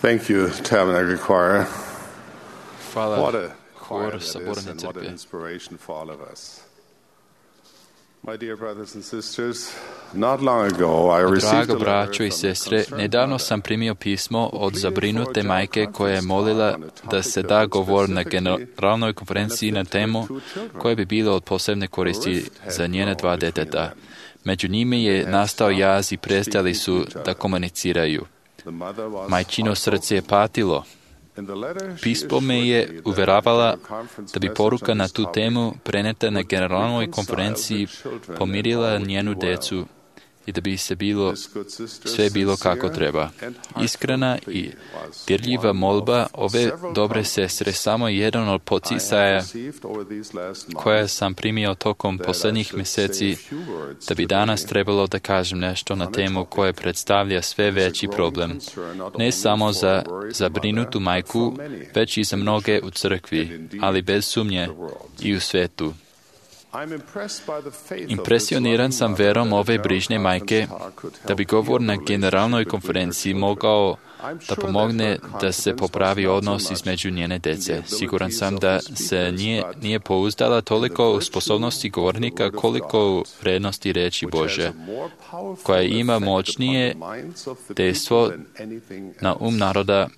Thank you, Tabernacle Choir. Hvala What a choir hor that is Saborne and what an crkve. inspiration for all of us. My dear brothers and sisters, not long ago I received Drago a braćo letter i from a sestre, concerned nedavno mother sam primio pismo od who zabrinute pleaded for a majke joint koja je conference molila talk on a da topic se that da would govor na specifically generalnoj konferenciji na benefit her temu two children. koje bi bilo od posebne koristi rift had za njene grown dva between deteta. them. Među njime je had nastao stopped jaz i prestali su speaking to each da other. komuniciraju. The mother was Majčino heartbroken. srce je patilo. In the letter, she Pismo me assured je me that uveravala the conference da bi message poruka on na this tu topic temu preneta na would generalnoj reconcile konferenciji her children pomirila and all would njenu be well. decu i da bi se bilo This good sister, sve bilo kako sincere treba. and heartfelt Iskrena i plea was dirljiva one molba of ove several dobre conferences sestre samo je jedan od I have poticaja received over these last months koje sam primio tokom that I posljednjih should mjeseci, say a few words da bi today danas trebalo da kažem nešto na temu koje predstavlja sve veći problem, ne samo za zabrinutu majku, već i za mnoge u crkvi, ali bez sumnje i u svetu. Impresioniran sam verom ove brižne majke da bi govor na generalnoj konferenciji mogao da pomogne da se popravi odnos između njene dece. Siguran sam da se nije pouzdala toliko u sposobnosti govornika koliko u vrednosti reči Bože, koja ima moćnije dejstvo na naroda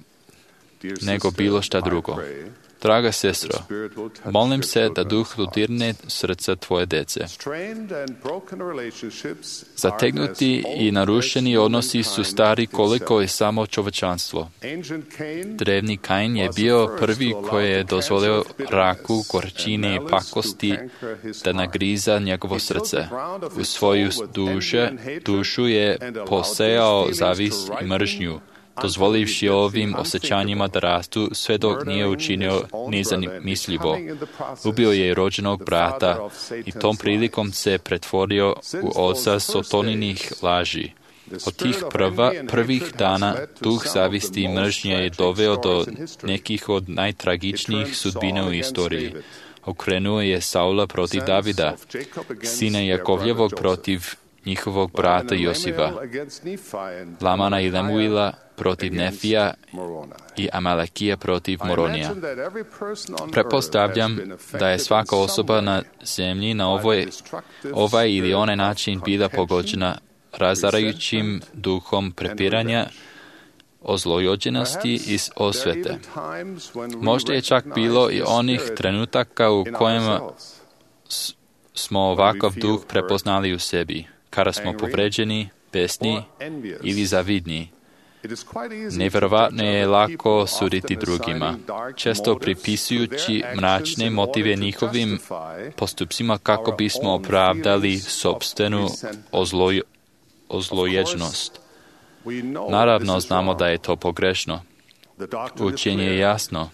nego bilo šta drugo. Draga sestro, molim se da duh dodirne srca tvoje dece. Zategnuti i narušeni odnosi su stari koliko je samo čovečanstvo. Drevni Kain je bio prvi koji je dozvolio raku, gorčini i pakosti da nagriza njegovo srce. U svoju dušu je posejao zavist i mržnju, dozvolivši ovim osjećanjima da rastu sve dok nije učinio nezamislivo. Ubio je rođenog brata i tom prilikom se pretvorio u oca sotoninih laži. Od tih prvih dana duh zavisti i mržnje je doveo do nekih od najtragičnijih sudbina u istoriji. Okrenuo je Saula protiv Davida, sina Jakovljevog protiv njihovog brata Josiva, Lamana i Lemuila protiv Nefija i Amalekija protiv Moronija. Pretpostavljam da je svaka osoba na zemlji na ovaj ili onaj način bila pogođena razarajućim duhom prepiranja, ozlojeđenosti i osvete. Možda je čak bilo i onih trenutaka u kojima smo ovakav duh prepoznali u sebi, kada smo povređeni, besni ili zavidni. Nevjerovatno je lako suditi drugima, često pripisujući mračne motive njihovim postupcima kako bismo opravdali sopstvenu ozlojeđenost. Naravno, znamo da je to pogrešno. Učenje je jasno.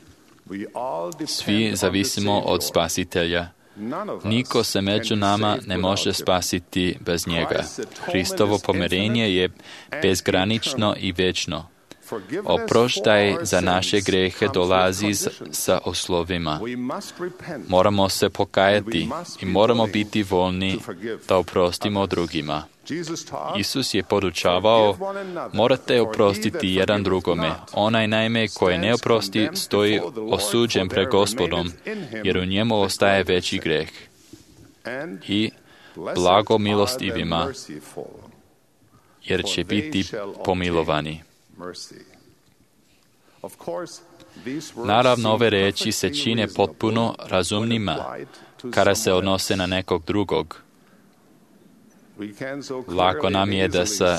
Svi zavisimo od Spasitelja. Niko se među nama ne može spasiti bez njega. Hristovo pomirenje je bezgranično i večno. Oproštaj za naše grehe dolazi sa oslovima. Moramo se pokajati i moramo biti voljni da oprostimo drugima. Isus je podučavao, morate oprostiti jedan drugome. Onaj naime koji ne oprosti stoji osuđen pred Gospodom, jer u njemu ostaje veći greh. I blago milostivima, jer će biti pomilovani. Naravno, ove reči se čine potpuno razumnima kada se odnose na nekog drugog. Lako nam je da sa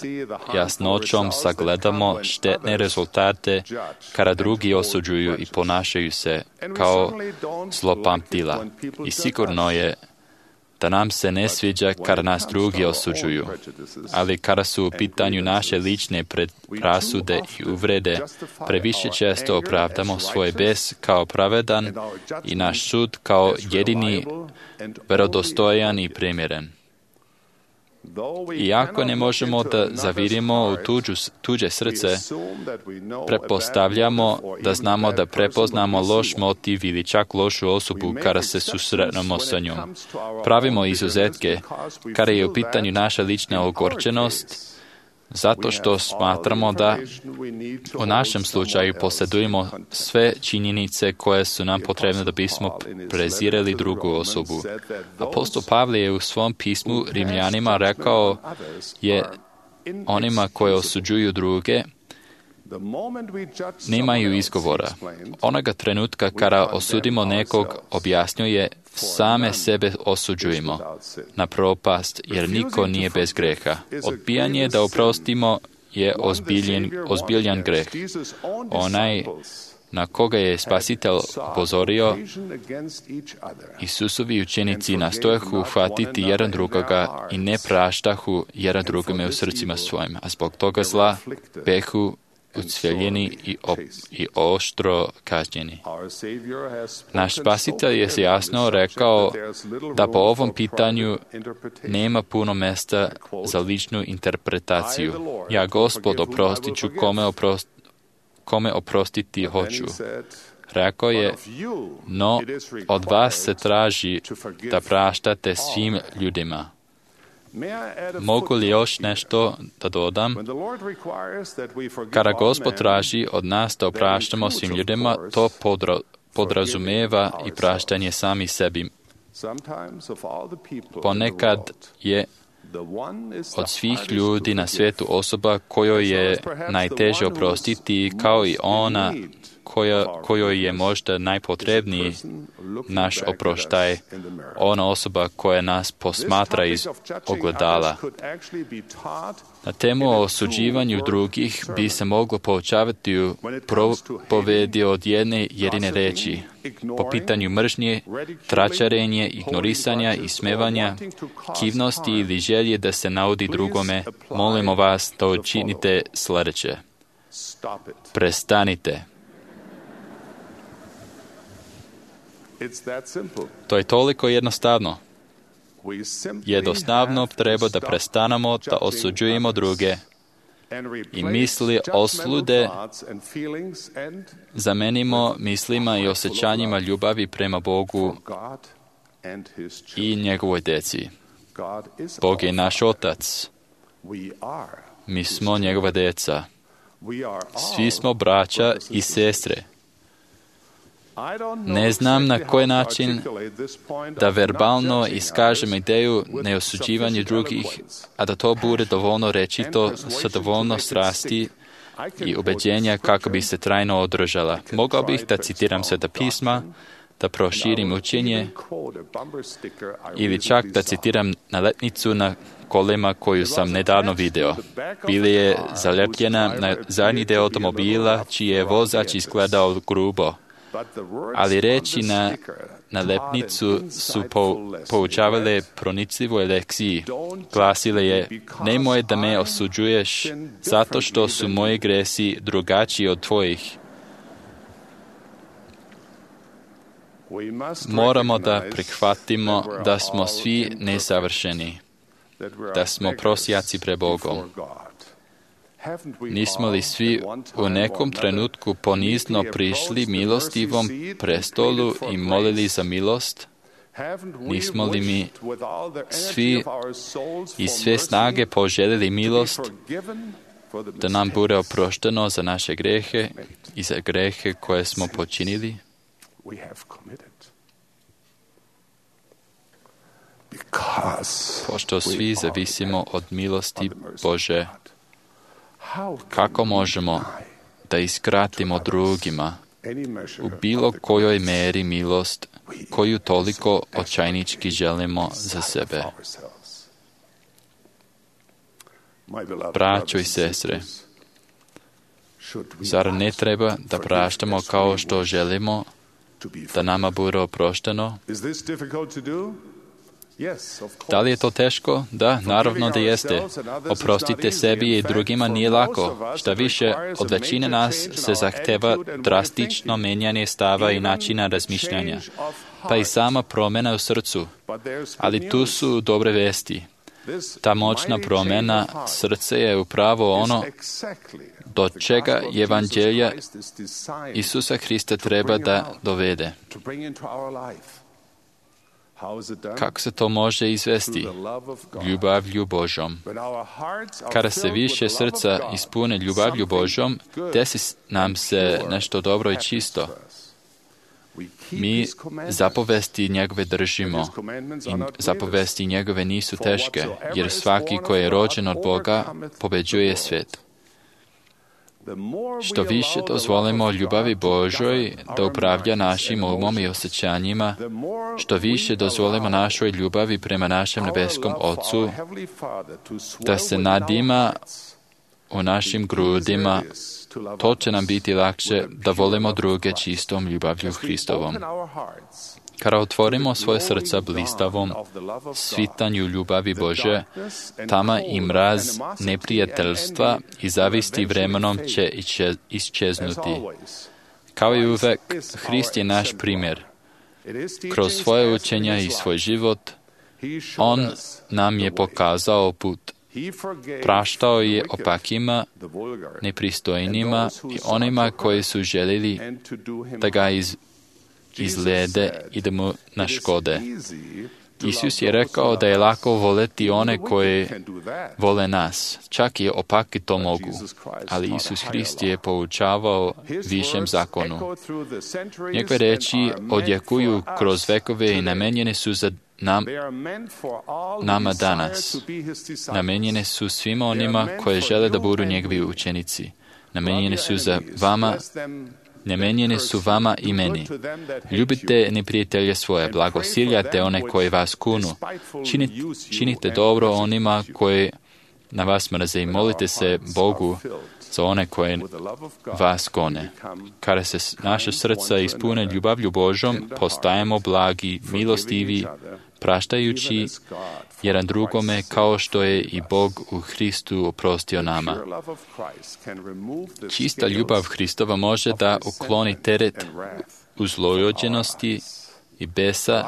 jasnoćom sagledamo štetne rezultate kada drugi osuđuju i ponašaju se kao zlopamtila. I sigurno je da nam se ne sviđa kada nas drugi osuđuju, ali kada su u pitanju naše lične predrasude i uvrede, previše često opravdamo svoj bes kao pravedan i naš sud kao jedini vjerodostojan i primjeren. Iako ne možemo da zavirimo u tuđe srce, pretpostavljamo da znamo da prepoznamo loš motiv ili čak lošu osobu kada se susretnemo sa njom. Pravimo izuzetke kada je u pitanju naša lična ogorčenost, zato što smatramo da u našem slučaju posjedujemo sve činjenice koje su nam potrebne da bismo prezirali drugu osobu. Apostol Pavle je u svom pismu Rimljanima rekao je onima koji osuđuju druge, nemaju izgovora. Onoga trenutka kada osudimo nekog, objašnjuje, same sebe osuđujemo na propast, jer niko nije bez greha. Odbijanje da oprostimo je ozbiljan greh. Onaj na koga je Spasitelj upozorio, Isusovi učenici nastojahu uhvatiti jedan drugoga i ne praštahu jedan drugome u srcima svojim, a zbog toga zla behu ucveljeni i oštro kažnjeni. Naš Spasitelj je jasno rekao da po ovom pitanju nema puno mjesta za ličnu interpretaciju. Ja, Gospod, oprostit ću kome oprostiti hoću. Rekao je, no od vas se traži da praštate svim ljudima. Mogu li još nešto da dodam? Kada Gospod traži od nas da opraštamo svim ljudima, to podrazumijeva i praštanje sami sebi. Ponekad je od svih ljudi na svijetu osoba kojoj je najteže oprostiti, kao i ona kojoj je možda najpotrebniji naš oproštaj, ona osoba koja nas posmatra iz ogledala. Na temu o osuđivanju drugih bi se moglo poučavati u propovedi od jedine reči. Po pitanju mržnje, tračarenje, ignorisanja i smevanja, kivnosti ili želje da se naudi drugome, molimo vas da učinite sljedeće. Prestanite. To je toliko jednostavno. Jednostavno treba da prestanemo da osuđujemo druge i misli osude zamenimo mislima i osjećanjima ljubavi prema Bogu i njegovoj djeci. Bog je naš Otac. Mi smo njegova djeca. Svi smo braća i sestre. Ne znam na koji način da verbalno iskažem ideju neosuđivanja drugih, a da to bude dovoljno rečito sa dovoljno strasti i ubeđenja kako bi se trajno održala. Mogao bih da citiram Sveta pisma, da proširim učenje ili čak da citiram nalepnicu na kolima koju sam nedavno video. Bila je zaljepljena na zadnji deo automobila čiji je vozač izgledao grubo. Ali reći na nalepnicu su poučavale pronicljivoj lekciji. Glasile je, nemoj da me osuđuješ zato što su moji gresi drugačiji od tvojih. Moramo da prihvatimo da smo svi nesavršeni, da smo prosjaci pred Bogom. Nismo li svi u nekom trenutku ponizno prišli milostivom prestolu i molili za milost? Nismo li mi svi iz sve snage poželjeli milost da nam bude oprošteno za naše grehe i za grehe koje smo počinili? Pošto svi zavisimo od milosti Bože, kako možemo da iskratimo drugima u bilo kojoj meri milost koju toliko očajnički želimo za sebe? Braćo i sestre, zar ne treba da praštamo kao što želimo da nama bude oprošteno? Da li je to teško? Da, naravno da jeste. Oprostite sebi i drugima nije lako. Šta više, od većine nas se zahteva drastično menjanje stava i načina razmišljanja, pa i sama promjena u srcu. Ali tu su dobre vesti. Ta moćna promjena srce je upravo ono do čega Evanđelja Isusa Hrista treba da dovede. Kako se to može izvesti? Ljubavlju Božom. Kada se više srca ispune ljubavlju Božom, desi nam se nešto dobro i čisto. Mi zapovesti njegove držimo i zapovesti njegove nisu teške, jer svaki koji je rođen od Boga pobeđuje svijet. Što više dozvolimo ljubavi Božoj da upravlja našim umom i osjećanjima, što više dozvolimo našoj ljubavi prema našem nebeskom Ocu da se nadima u našim grudima, to će nam biti lakše da volimo druge čistom ljubavlju Hristovom. Kada otvorimo svoje srca blistavom svitanju ljubavi Bože, tama i mraz neprijateljstva i zavisti vremenom će iščeznuti. Kao i uvek, Hrist je naš primjer. Kroz svoje učenja i svoj život, On nam je pokazao put. Praštao je opakima, nepristojnima i onima koji su željeli da ga izglede i da mu naškode. Isus je rekao da je lako voleti one koji vole nas. Čak i opaki to mogu. Ali Isus Hrist je poučavao višem zakonu. Njegove reči odjekuju kroz vekove i namenjene su za nama danas. Namenjene su svima onima koji žele da budu njegovi učenici. Namenjene su za vama, namenjene su vama i meni. Ljubite neprijatelje svoje, blagosiljate one koji vas kunu. Činite dobro onima koji na vas mrze i molite se Bogu za one koje vas gone. Kada se naše srca ispune ljubavlju Božom, postajemo blagi, milostivi, praštajući jedan drugome kao što je i Bog u Hristu oprostio nama. Čista ljubav Hristova može da ukloni teret uzlojođenosti i besa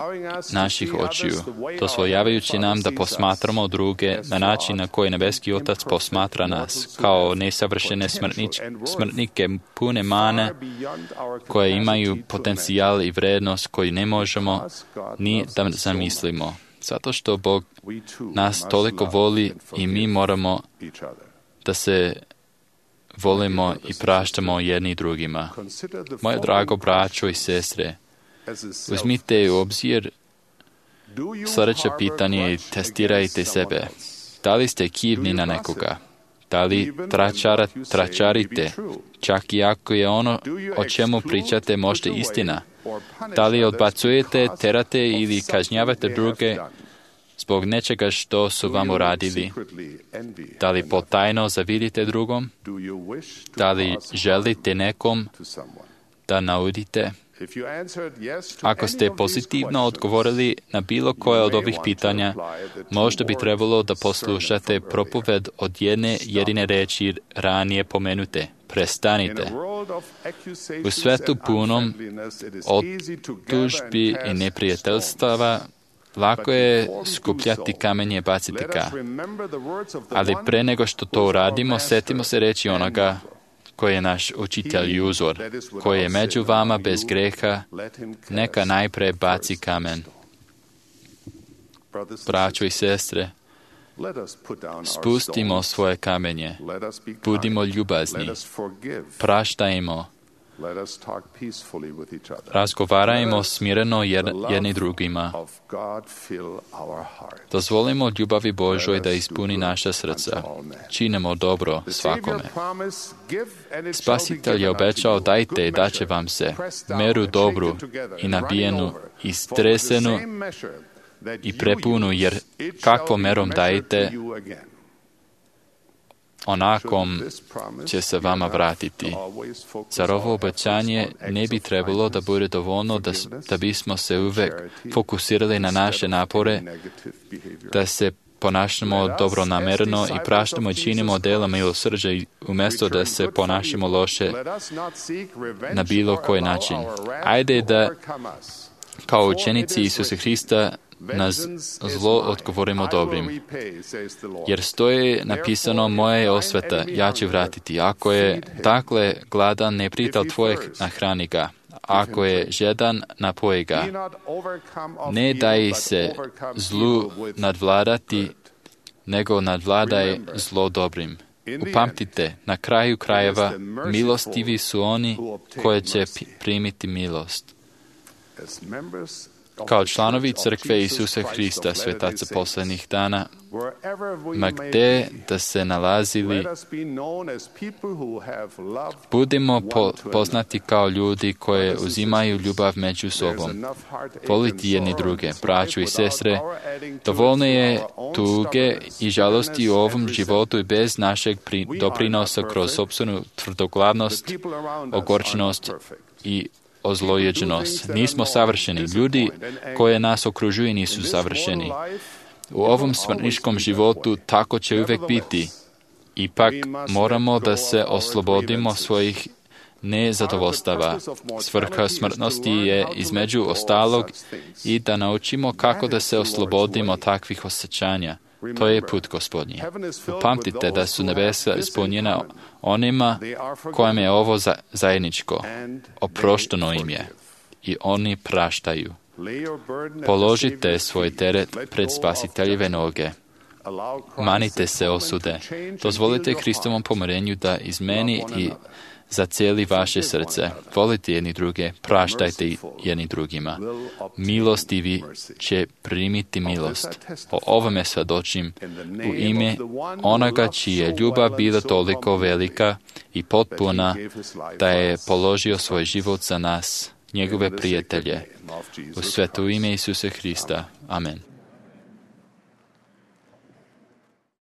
naših očiju, dozvoljavajući nam da posmatramo druge na način na koji nebeski Otac posmatra nas, kao nesavršene smrtnike pune mane koje imaju potencijal i vrednost koju ne možemo ni da zamislimo. Zato što Bog nas toliko voli i mi moramo da se volimo i praštamo jedni drugima. Moje drago braćo i sestre, uzmite u obzir sljedeće pitanje i testirajte sebe. Da li ste kivni na nekoga? Da li tračarite, čak i ako je ono o čemu pričate možda istina? Da li odbacujete, terate ili kažnjavate druge zbog nečega što su vam uradili? Da li potajno zavidite drugom? Da li želite nekom da naudite? Ako ste pozitivno odgovorili na bilo koje od ovih pitanja, možda bi trebalo da poslušate propoved od jedine reči ranije pomenute. Prestanite. U svetu punom optužbi i neprijateljstava lako je skupljati kamenje i baciti ga. Ali pre nego što to uradimo, setimo se reći onoga koji je naš učitelj i uzor, koji je među vama bez greha, neka najpre baci kamen. Braćo i sestre, spustimo svoje kamenje, budimo ljubazni, praštajmo, razgovarajmo smireno jedni drugima. Dozvolimo ljubavi Božoj da ispuni naša srca. Činimo dobro svakome. Spasitelj je obećao, dajte i daće vam se meru dobru i nabijenu i stresenu i prepunu, jer kakvom merom dajete, onakom će se vama vratiti. Zar ovo obećanje ne bi trebalo da bude dovoljno da bismo se uvek fokusirali na naše napore, da se ponašamo dobronamerno i praštamo i činimo dela milosrđa umjesto da se ponašamo loše na bilo koji način. Ajde da kao učenici Isusa Hrista na zlo odgovorimo dobrim. Jer stoji napisano, moja je osveta, ja ću vratiti. Ako je dakle gladan neprijatelj tvojeg, nahrani ga. ako je žedan, napoji ga. Ne daj se zlu nadvladati, nego nadvladaj zlo dobrim. Upamtite, na kraju krajeva, milostivi su oni koje će primiti milost. Kao članovi crkve Isusa Hrista, svetaca posljednjih dana, ma gde da se nalazili, budimo poznati kao ljudi koje uzimaju ljubav među sobom. Voliti jedni druge, braću i sestre, dovoljno je tuge i žalosti u ovom životu i bez našeg doprinosa kroz sopstvenu tvrdoglavnost, ogorčenost i ozlojeđenost. Nismo savršeni. Ljudi koje nas okružuju nisu savršeni. U ovom smrtničkom životu tako će uvijek biti. Ipak moramo da se oslobodimo svojih nezadovoljstava. Svrha smrtnosti je između ostalog i da naučimo kako da se oslobodimo takvih osjećanja. To je put Gospodnji. Upamtite da su nebesa ispunjena onima kojima je ovo zajedničko. Oprošteno im je i oni praštaju. Položite svoj teret pred Spasiteljeve noge. Manite se osude. Dozvolite Hristovom pomirenju da izmeni i zacijeli vaše srce. Volite jedni druge, praštajte jedni drugima. Milostivi će primiti milost. O ovome svjedočim u ime onoga čija je ljubav bila toliko velika i potpuna da je položio svoj život za nas, njegove prijatelje. U sveto ime Isusa Hrista. Amen.